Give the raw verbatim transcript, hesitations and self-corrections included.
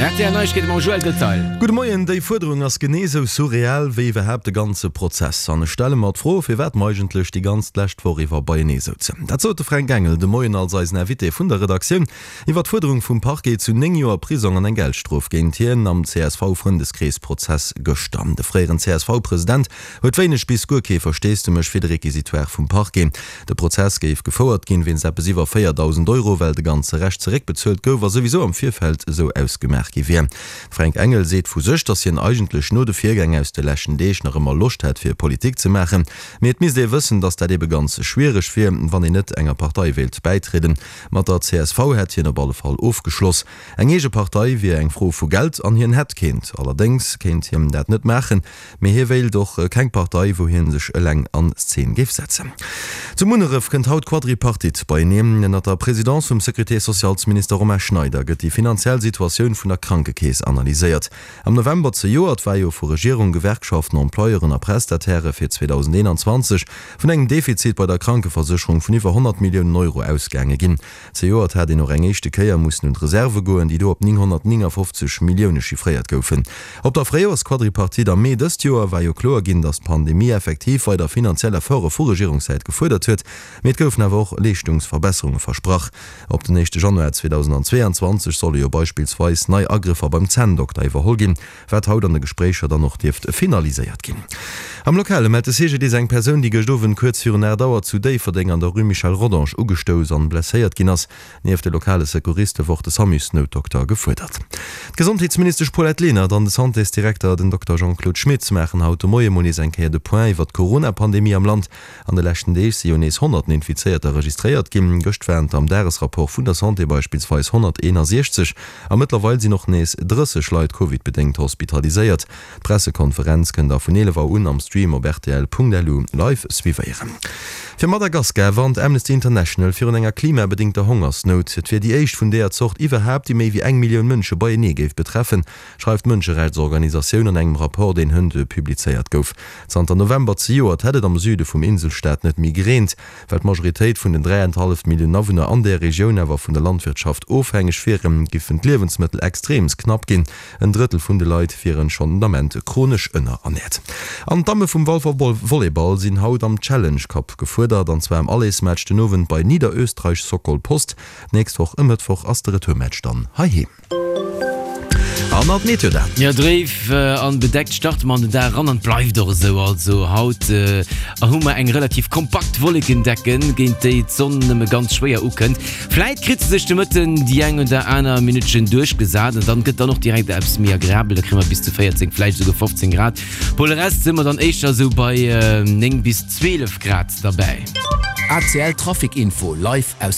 R T L Neiegkeete mam Joël Detail. Gudde Moien, Déi Fuerderung ass genee sou surreal wéi iwwerhaapt de ganze Prozess. An ech stelle mer d'Fro, firwat mer eigentlech déi ganz lescht Woch iwwer beienee souzen. Dat sot de Fränk Engel de Moien als eisen Invité vun der Redaktioun iwwer d'Fuerderung vum Parquet zu néng Joer Prisong an eng Geldstrof géint hien am C S V-Frëndeskrees-Prozess gëschter. De fréieren C S V-President huet wéineg bis guer kee Versteesdemech fir de Requisitoire vum Parquet. De Prozess géif gefouert ginn wéinst eppes iwwer véierdausend Euro, well de ganze Rescht zeréckbezuelt gouf a souwisou am Virfeld esou ausgemaach gi wier. De Fränk Engel seet vu sech, datt hien eigentlech no de Virgäng aus de leschten Deeg nach ëmmer Loscht hätt fir Politik ze maachen, mee et misst ee wëssen, datt dat ebe ganz schwiereg wier, wann een net enger Partei wéilt bäitrieden. Mat der C S V hätt hien op alle Fall ofgeschloss. Eng eege Partei wier eng Fro vu Geld an hien hätt keent. Allerdéngs kéint hien dat net maachen, mee hie wéilt och keng Partei, wou hie sech eleng an Szen géif setzen. Zu Munneref kënnt haut d'Quadripartite beieneen. Ënnert der Presidence vum Sécurité-sociales-Minister Romain Schneider gëtt déi finanziell Situatioun vun der Krankekeess analyséiert. Am November zejoert war jo vu Regierung, Gewerkschaften, Employeuren a Prestatairë fir zweedausendeenanzwanzeg vun engem Defizit bei der Krankeversécherung vun iwwer honnert Milliounen Euro ausgaange ginn. Zejoert hat een och eng éischte Kéier mussen un d'Reserve goen, déi do op nénghonnertnéngafofzeg Millioune chiffréiert goufen. Op der Fréijoers-Quadripartite am Mee dëst Joer war jo kloer ginn, datt d'Pandemie effektiv weider finanziell Efforte vu Regierungssäit gefuerdert huet, mee et goufen awer och Leeschtungsverbesserunge versprach. Op den éischte Januar zweedausendzweeanzwanzeg solle jo beispillsweis nei Agrëffer beim Zänndokter iwwerholl ginn, wat haut an de Gespréicher dann och dierft finaliséiert ginn. Am Lokale mellt de C G D I S eng Persoun, déi gëscht Owend kuerz virun aacht Auer zu Déifferdeng an der Rue Michel Rodange ugestouss an blesséiert ginn ass. Nieft de lokale Secouriste wor och de Samusnoutdokter gefuerdert. D'Gesondheetsministesch Paulette Lenert an de Santésdirekter, den Dokter Jean-Claude Schmit, maachen haut de Moie mol nees eng Kéier de Point iwwer d'Corona-Pandemie am Land. An de leschten Deeg si jo nees honnerten Infizéierter registréiert ginn. Gëscht waren et am Dagesrapport vun der Santé beispillsweis honnerteenasiechzeg a mëttlerweil sinn och nees drësseg Leit Covid-bedéngt hospitaliséiert. D'Pressekonferenz kënnt der vun eelef Auer un am Stream op rtl Punkt L U live suivéieren. Fir Madagaskar warnt Amnesty International virun enger klimabedéngter Hongersnout. Et wier déi éischt vun deeër Zort iwwerhaapt, déi méi wéi eng Millioun Mënsche beienee géif betreffen, schreift d'Mënscherechtsorganisatioun an engem Rapport, deen hënt publizéiert gouf. Zanter November zejoert hätt et am Süde vum Inselstaat net méi gereent. Well d'Majoritéit vun den dräienhallef Milliounen Awunner an där Regioun awer vun der Landwirtschaft ofhängeg wieren, giffen d'Liewensmëttel extreemst knapp ginn. En Drëttel vun de Leit wieren schonn den Ament chronesch ënnerernäert. An d'Damme vum Walfer Volleyball sinn haut am Challenge Cup gefuerdert, an zwar am Allersmatch den Owend bei Niederösterreich Sokol Post. D'nächst Woch e Mëttwoch ass de Retourmatch dann heiheem. An nach d'Meteo-Daten. Jo, dréif an bedeckt starte mer an den Dag eran an et bleift och esou. Also haut hu mer eng relativ kompakt Wollekendecken, géint déi d'Sonn nëmme ganz schwéier ukënnt. Vläit kritt se sech de Mëtten déi eng oder aner Minuttchen duerchgesat an dann gëtt dann och direkt eppes méi agreabel, da kréie mer bis zu véierzéng, vläicht esouguer fofzéng Grad. Pour le reste si mer dann éischter esou bei néng bis zwielef Grad derbäi. A C L Trafic Info live aus.